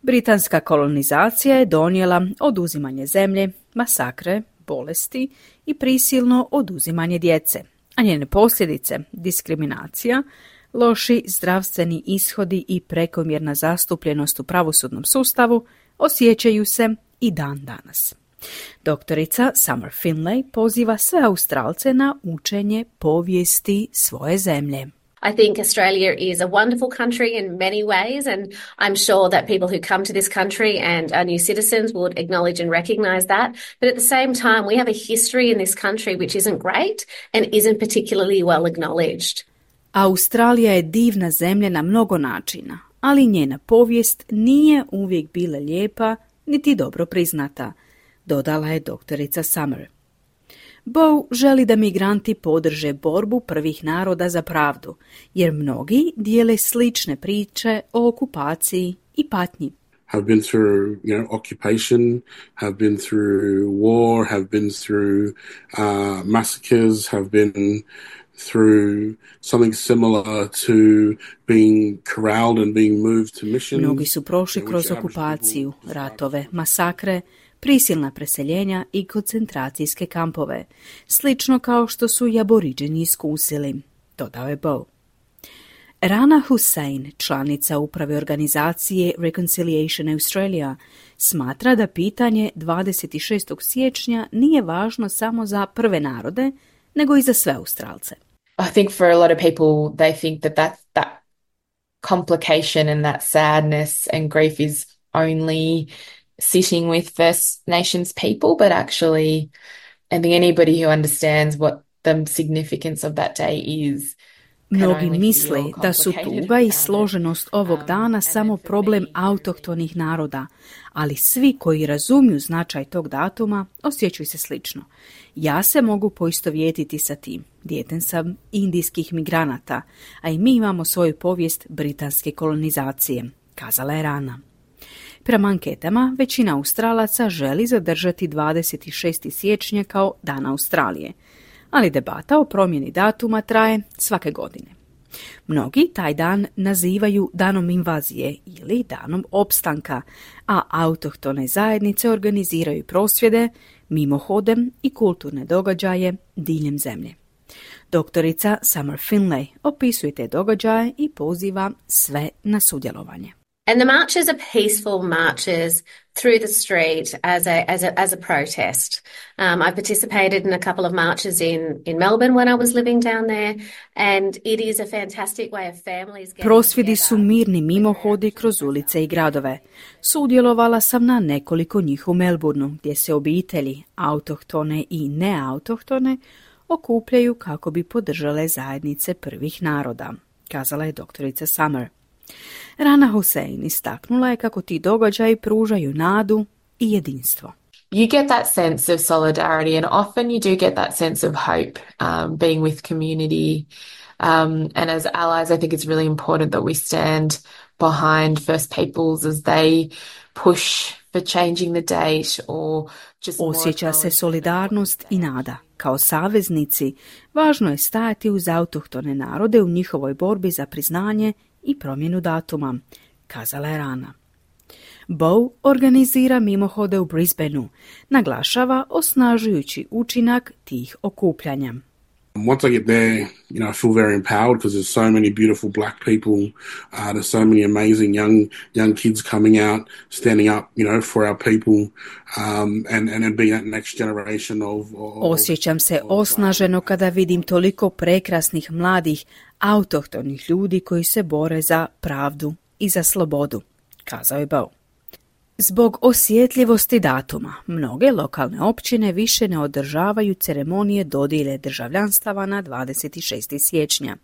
Britanska kolonizacija je donijela oduzimanje zemlje, masakre, bolesti i prisilno oduzimanje djece, a njene posljedice, diskriminacija, loši zdravstveni ishodi i prekomjerna zastupljenost u pravosudnom sustavu osjećaju se i dan danas. Doktorica Summer Finlay poziva sve Australce na učenje povijesti svoje zemlje. I think Australia is a wonderful country in many ways, and I'm sure that people who come to this country and are new citizens would acknowledge and recognise that. But at the same time, we have a history in this country which isn't great and isn't particularly well acknowledged. Australija je divna zemlja na mnogo načina, ali njena povijest nije uvijek bila lijepa niti dobro priznata, dodala je doktorica Summer. Bow želi da migranti podrže borbu prvih naroda za pravdu, jer mnogi dijele slične priče o okupaciji i patnji. Have been through, you know, occupation, have been through war, have been through uh, massacres, have been through something similar to being corralled and being moved to missions. Mnogi su prošli kroz okupaciju, ratove, masakre, prisilna preseljenja i koncentracijske kampove, slično kao što su i aboriđeni iskusili, dodao je Bow. Rana Hussein, članica uprave organizacije Reconciliation Australia, smatra da pitanje dvadeset šestog siječnja nije važno samo za prve narode, nego i za sve Australce. I think for a lot of people they think that that, that complication and that sadness and grief is only sitting with First Nations people, but actually I think anybody who understands what the significance of that day is. Mnogi misle da su tuga i složenost ovog dana samo problem autohtonih naroda, ali svi koji razumiju značaj tog datuma osjećaju se slično. Ja se mogu poistovjetiti sa tim. Dijete sam indijskih migranata, a i mi imamo svoju povijest britanske kolonizacije, kazala je Rana. Prema anketama, većina Australaca želi zadržati dvadeset šestog siječnja kao Dan Australije, ali debata o promjeni datuma traje svake godine. Mnogi taj dan nazivaju danom invazije ili danom opstanka, a autohtone zajednice organiziraju prosvjede, mimohode i kulturne događaje diljem zemlje. Doktorica Summer Finlay opisuje te događaje i poziva sve na sudjelovanje. And the marches are peaceful marches through the street as a as a as a protest. Um, I participated in a couple of marches in in Melbourne when I was living down there, and it is a fantastic way of families getting Prosvjedi su mirni mimohodi kroz ulice i gradove. Sudjelovala sam na nekoliko njih u Melbourneu, gdje se obitelji, autohtone i neautohtone, okupljaju kako bi podržale zajednice prvih naroda, kazala je doktorica Summer. Rana Hussein istaknula je kako ti događaji pružaju nadu i jedinstvo. You get that sense of solidarity, and often you do get that sense of hope, um, being with community. Um, and as allies, I think it's really important that we stand behind First Peoples as they push for changing the date or just more. Osjeća se solidarnost i nada. Kao saveznici, važno je stajati uz autohtone narode u njihovoj borbi za priznanje i promjenu datuma, kazala je Rana. Bow organizira mimohode u Brisbaneu, naglašava osnažujući učinak tih okupljanja. Once I get there, you know, I feel very empowered because there's so many beautiful black people. Uh, there's so many amazing young young kids coming out, standing up, you know, for our people, um, and and being that next generation of, of. Osjećam se osnaženo kada vidim toliko prekrasnih mladih autohtonih ljudi koji se bore za pravdu i za slobodu, kazao je Bow. Zbog osjetljivosti datuma, mnoge lokalne općine više ne održavaju ceremonije dodjele državljanstava na dvadeset šestog siječnja,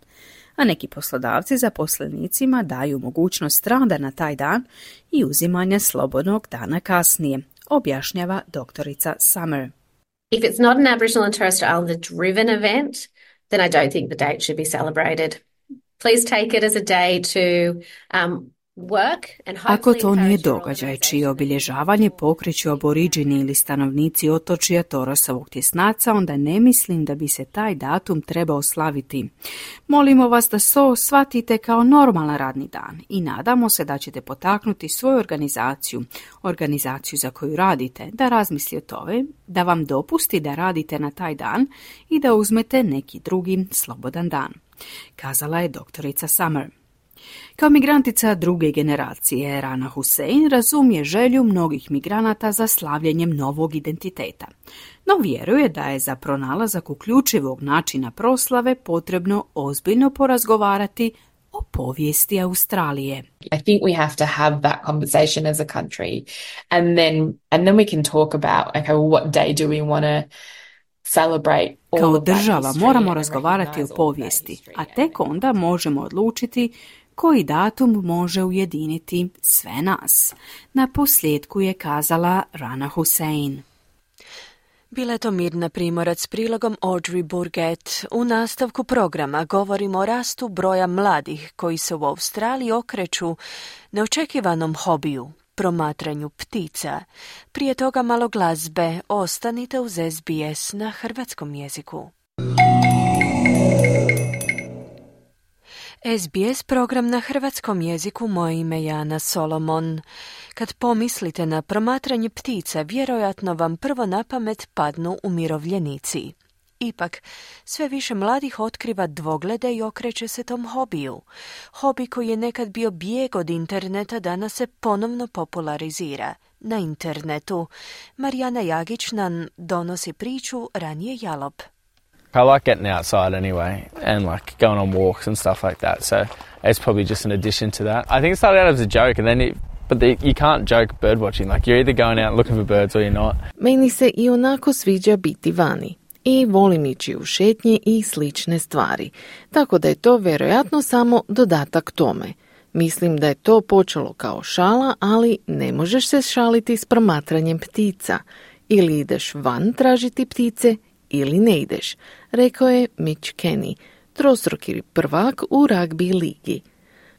a neki poslodavci zaposlenicima daju mogućnost rada na taj dan i uzimanja slobodnog dana kasnije, objašnjava doktorica Summer. If it's not an Aboriginal and Torres Strait Islander driven event, then I don't think the date should be celebrated. Please take it as a day to um, Ako to nije događaj čije obilježavanje pokreću aboriđini ili stanovnici otočja Torosovog tjesnaca, onda ne mislim da bi se taj datum trebao slaviti. Molimo vas da so shvatite kao normalan radni dan i nadamo se da ćete potaknuti svoju organizaciju, organizaciju za koju radite, da razmisli o tome, da vam dopusti da radite na taj dan i da uzmete neki drugi slobodan dan, kazala je doktorica Summer. Kao migrantica druge generacije, Rana Hussein razumije želju mnogih migranata za slavljenjem novog identiteta, no vjeruje da je za pronalazak uključivog načina proslave potrebno ozbiljno porazgovarati o povijesti Australije. I think we have to have that conversation as a country, and then and then we can talk about okay, well, what day do we want to celebrate? Kao država moramo razgovarati o povijesti, a tek onda možemo odlučiti koji datum može ujediniti sve nas. Na posljedku je kazala Rana Hussein. Bila je to Mirna Primorac s prilogom Audrey Burgett. U nastavku programa govorimo o rastu broja mladih koji se u Australiji okreću neočekivanom hobiju, promatranju ptica. Prije toga malo glazbe. Ostanite uz S B S na hrvatskom jeziku. S B S program na hrvatskom jeziku, moje ime je Ana Solomon. Kad pomislite na promatranje ptica, vjerojatno vam prvo na pamet padnu umirovljenici. Ipak, sve više mladih otkriva dvoglede i okreće se tom hobiju. Hobi koji je nekad bio bijeg od interneta, danas se ponovno popularizira. Na internetu Marijana Jagić nam donosi priču Ranije Jalop. I like getting outside anyway and like going on walks and stuff like that. So it's probably just an addition to that. I think it started out as a joke, and then it, but the, you can't joke bird watching. Like you're either going out looking for birds or you're not. Meni se i onako sviđa biti vani i volim ići u šetnje i slične stvari. Tako da je to vjerojatno samo dodatak tome. Mislim da je to počelo kao šala, ali ne možeš se šaliti s promatranjem ptica. Ili ideš van tražiti ptice ili ne ideš, rekao je Mitch Kenny, trostruki prvak u ragbi ligi.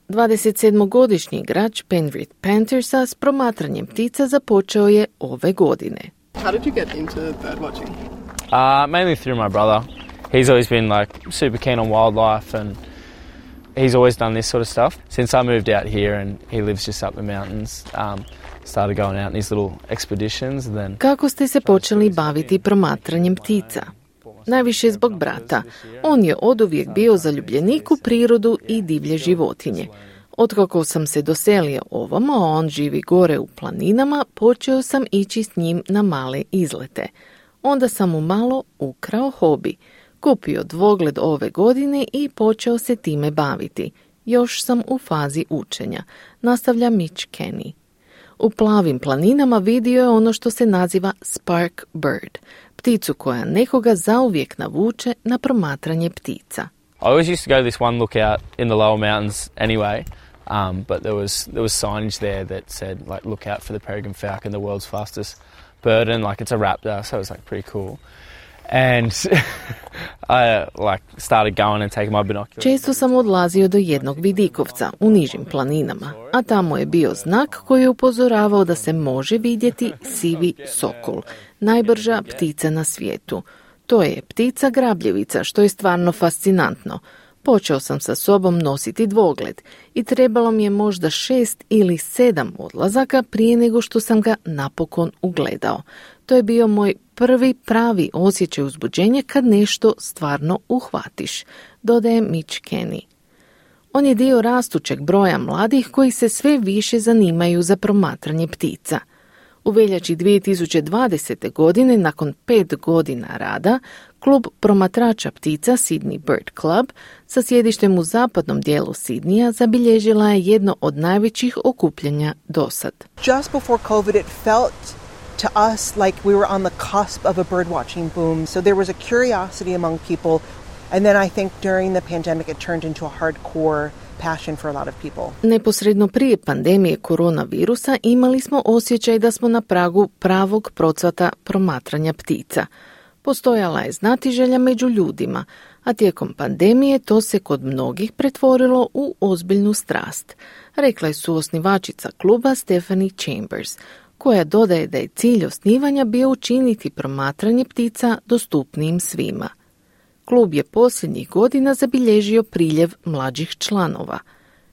dvadesetsedmogodišnji igrač Penrith Panthersa s promatranjem ptica započeo je ove godine. How did you get into bird watching? Uh, mainly through my brother. He's always been like super keen on wildlife, and he's always done this sort of stuff. Since I moved out here and he lives just up the mountains, um, started going out on these little expeditions. And then... Kako ste se počeli baviti promatranjem ptica? Najviše zbog brata. On je oduvijek bio zaljubljenik u prirodu i divlje životinje. Otkako sam se doselio ovamo, a on živi gore u planinama, počeo sam ići s njim na male izlete. Onda sam mu malo ukrao hobi. Kupio dvogled ove godine i počeo se time baviti. Još sam u fazi učenja, nastavlja Mitch Kenny. U plavim planinama vidio je ono što se naziva spark bird, pticu koja nekoga zauvijek navuče na promatranje ptica. I always used to go to this one lookout in the lower mountains anyway, um, but there was there was signage there that said like look out for the peregrine falcon, the world's fastest bird, and like it's a raptor, so it was like pretty cool. And I like started going and taking my binoculars. Često sam odlazio do jednog vidikovca u nižim planinama, a tamo je bio znak koji je upozoravao da se može vidjeti sivi sokol, najbrža ptica na svijetu. To je ptica grabljevica, što je stvarno fascinantno. Počeo sam sa sobom nositi dvogled i trebalo mi je možda šest ili sedam odlazaka prije nego što sam ga napokon ugledao. To je bio moj prvi pravi osjećaj uzbuđenja kad nešto stvarno uhvatiš, dodaje Mitch Kenny. On je dio rastućeg broja mladih koji se sve više zanimaju za promatranje ptica. U veljači dvije tisuće dvadesete. godine, nakon pet godina rada, klub promatrača ptica Sydney Bird Club sa sjedištem u zapadnom dijelu Sidnija zabilježila je jedno od najvećih okupljanja dosad. Just before COVID it felt to us like we were on the cusp of a bird watching boom, so there was a curiosity among people, and then I think during the pandemic it turned into a hardcore passion for a lot of people. Neposredno prije pandemije koronavirusa imali smo osjećaj da smo na pragu pravog procvata promatranja ptica. Postojala je znatiželja među ljudima, a tijekom pandemije to se kod mnogih pretvorilo u ozbiljnu strast, rekla je suosnivačica kluba Stephanie Chambers, koja dodaje da je cilj osnivanja bio učiniti promatranje ptica dostupnijim svima. Klub je posljednjih godina zabilježio priljev mlađih članova.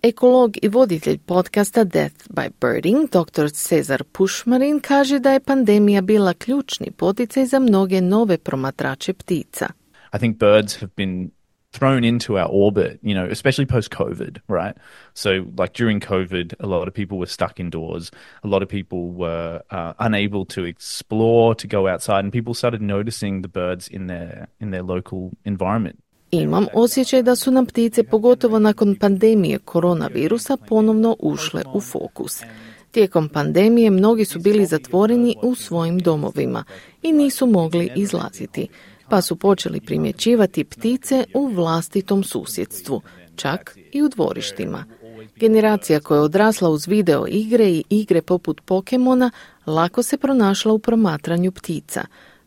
Ekolog i voditelj podcasta Death by Birding, doktor Cezar Pušmarin, kaže da je pandemija bila ključni poticaj za mnoge nove promatrače ptica. I think birds have been thrown into our orbit, you know, especially post-COVID, right? So like during COVID, a lot of people were stuck indoors. A lot of people were uh, unable to explore, to go outside, and people started noticing the birds in their in their local environment. Imam osjećaj da su nam ptice, pogotovo nakon pandemije koronavirusa, ponovno ušle u fokus. Tijekom pandemije mnogi su bili zatvoreni u svojim domovima i nisu mogli izlaziti, pa su počeli primjećivati ptice u vlastitom susjedstvu, čak i u dvorištima. Generacija koja je odrasla uz video igre i igre poput Pokemona lako se pronašla u promatranju ptica.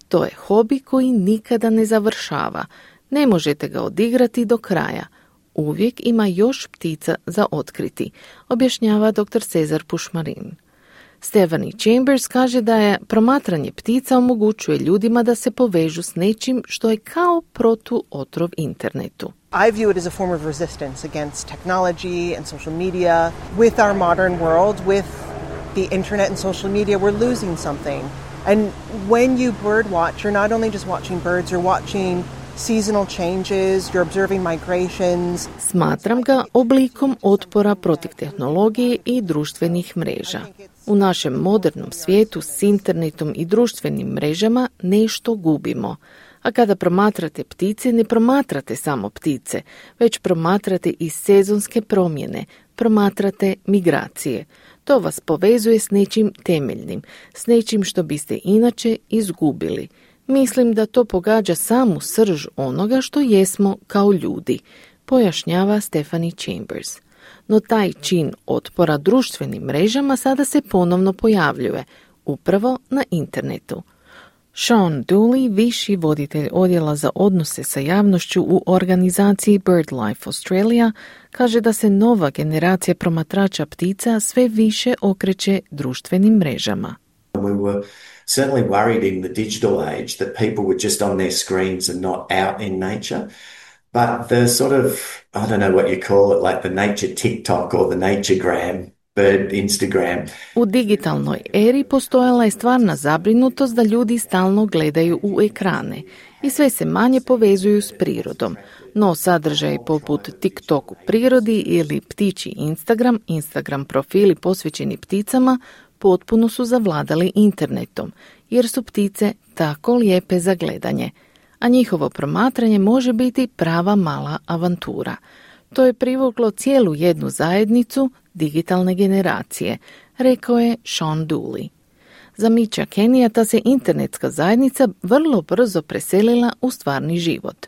To je hobi koji nikada ne završava. Ne možete ga odigrati do kraja. Uvijek ima još ptica za otkriti, objašnjava doktor Cezar Pušmarin. Stephanie Chambers kaže da je promatranje ptica omogućuje ljudima da se povežu s nečim što je kao protuotrov internetu. I view it as a form of resistance against technology and social media. With our modern world, with the internet and social media, we're losing something. And when you bird watch, you're not only just watching birds, you're watching seasonal changes, you're observing migrations. Smatram ga oblikom otpora protiv tehnologije i društvenih mreža. U našem modernom svijetu s internetom i društvenim mrežama nešto gubimo. A kada promatrate ptice, ne promatrate samo ptice, već promatrate i sezonske promjene, promatrate migracije. To vas povezuje s nečim temeljnim, s nečim što biste inače izgubili. Mislim da to pogađa samu srž onoga što jesmo kao ljudi, pojašnjava Stephanie Chambers. No taj čin otpora društvenim mrežama sada se ponovno pojavljuje, upravo na internetu. Sean Dooley, viši voditelj odjela za odnose sa javnošću u organizaciji BirdLife Australia, kaže da se nova generacija promatrača ptica sve više okreće društvenim mrežama. We were certainly worried in the digital age that people were just on their screens and not out in nature. But the sort of, I don't know what you call it, like the nature TikTok or the naturegram, bird Instagram. U digitalnoj eri postojala je stvarna zabrinutost da ljudi stalno gledaju u ekrane i sve se manje povezuju s prirodom. No sadržaji poput TikTok u prirodi ili ptičji Instagram, Instagram profili posvećeni pticama potpuno su zavladali internetom, jer su ptice tako lijepe za gledanje, a njihovo promatranje može biti prava mala avantura. To je privuklo cijelu jednu zajednicu digitalne generacije, rekao je Sean Dooley. Za Mitcha Kenija ta se internetska zajednica vrlo brzo preselila u stvarni život.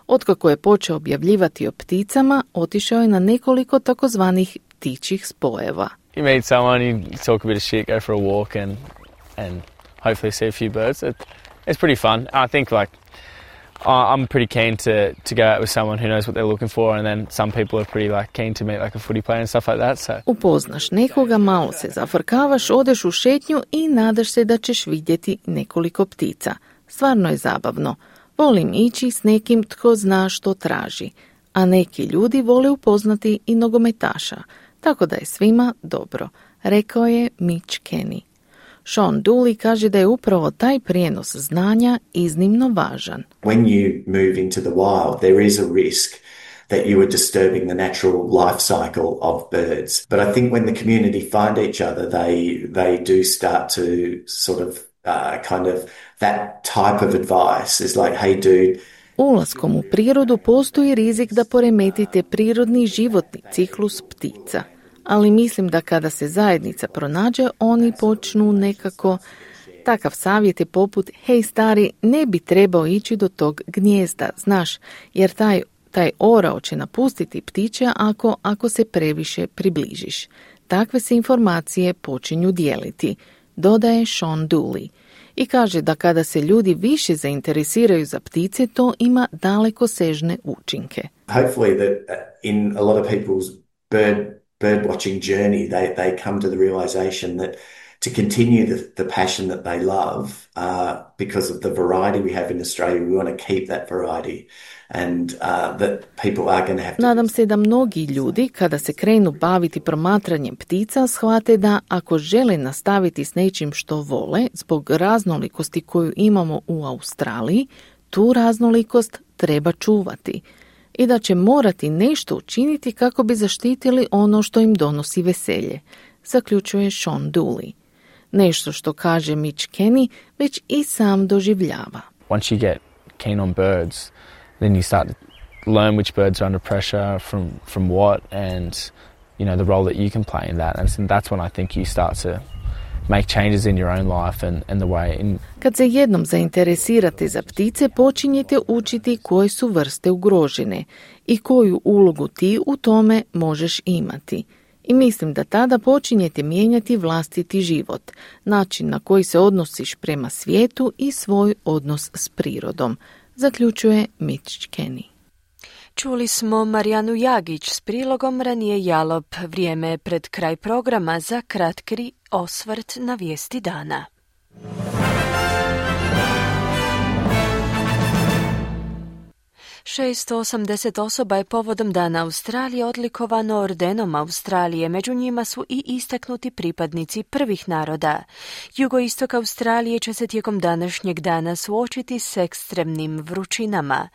Otkako je počeo objavljivati o pticama, otišao je na nekoliko takozvanih ptičjih spojeva. You meet someone, you talk a bit of shit, go for a walk and and hopefully see a few birds. It, it's pretty fun. I think like I'm pretty keen to to go out with someone who knows what they're looking for, and then some people are pretty like keen to meet like a footy player and stuff like that. So upoznaš nekoga, malo se zafrkavaš, odeš u šetnju i nadaš se da ćeš vidjeti nekoliko ptica. Stvarno je zabavno. Volim ići s nekim tko zna što traži, a neki ljudi vole upoznati i nogometaša. Tako da je svima dobro, rekao je Mitch Kenny. Sean Dooley kaže da je upravo taj prijenos znanja iznimno važan. When you move into the wild, there is a risk that you are disturbing the natural life cycle of birds. But I think when the community find each other, they they do start to sort of uh, kind of that type of advice is like, hey dude, ulaskom u prirodu postoji rizik da poremetite prirodni životni ciklus ptica. Ali mislim da kada se zajednica pronađe, oni počnu nekako... Takav savjet je poput, hej stari, ne bi trebao ići do tog gnijezda, znaš, jer taj, taj orao će napustiti ptiće ako, ako se previše približiš. Takve se informacije počinju dijeliti, dodaje Sean Dooley. I kaže da kada se ljudi više zainteresiraju za ptice, to ima dalekosežne učinke. Hopefully that in a lot of people's bird bird watching journey, they they come to the realization that to continue the, the passion that they love, uh, because of the variety we have in Australia, we want to keep that variety. And uh, that people are going to have to... Nadam se da mnogi ljudi, kada se krenu baviti promatranjem ptica, shvate da ako žele nastaviti s nečim što vole, zbog raznolikosti koju imamo u Australiji, tu raznolikost treba čuvati. i da će morati nešto učiniti kako bi zaštitili ono što im donosi veselje, zaključuje Sean Dooley. Nešto što kaže Mitch Kenny već i sam doživljava. Once you get keen on birds, then you start to learn which birds are under pressure from, from what and, you know, the role that you can play in that. And that's when I think you start to make changes in your own life and, and the way in... Kad se jednom zainteresirate za ptice, počinjete učiti koje su vrste ugrožene i koju ulogu ti u tome možeš imati. I mislim da tada počinjete mijenjati vlastiti život, način na koji se odnosiš prema svijetu i svoj odnos s prirodom, zaključuje Mitch Kenny. Čuli smo Marijanu Jagić s prilogom Ranije Jalop. Vrijeme je pred kraj programa za kratki osvrt na vijesti dana. šesto osamdeset osoba je povodom Dana Australije odlikovano ordenom Australije, među njima su i istaknuti pripadnici prvih naroda. Jugoistok Australije će se tijekom današnjeg dana suočiti s ekstremnim vrućinama.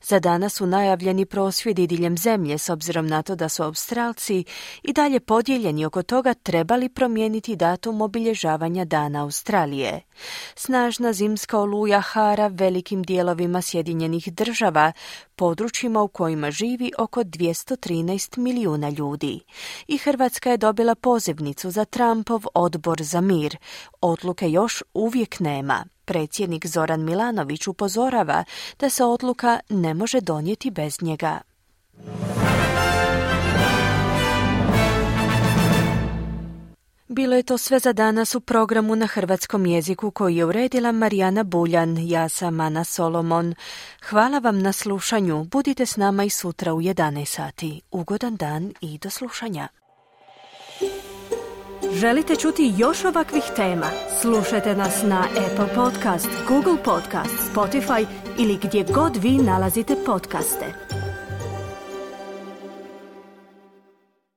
Za danas su najavljeni prosvjedi diljem zemlje, s obzirom na to da su Australci i dalje podijeljeni oko toga trebali promijeniti datum obilježavanja Dana Australije. Snažna zimska oluja hara velikim dijelovima Sjedinjenih država, područjima u kojima živi oko dvjesto trinaest milijuna ljudi. I Hrvatska je dobila pozivnicu za Trumpov odbor za mir. Odluke još uvijek nema. Predsjednik Zoran Milanović upozorava da se odluka ne može donijeti bez njega. Bilo je to sve za danas u programu na hrvatskom jeziku koji je uredila Marijana Buljan. Ja sam Ana Solomon. Hvala vam na slušanju. Budite s nama i sutra u jedanaest sati. Ugodan dan i do slušanja. Želite čuti još ovakvih tema? Slušajte nas na Apple Podcast, Google Podcast, Spotify ili gdje god vi nalazite podcaste.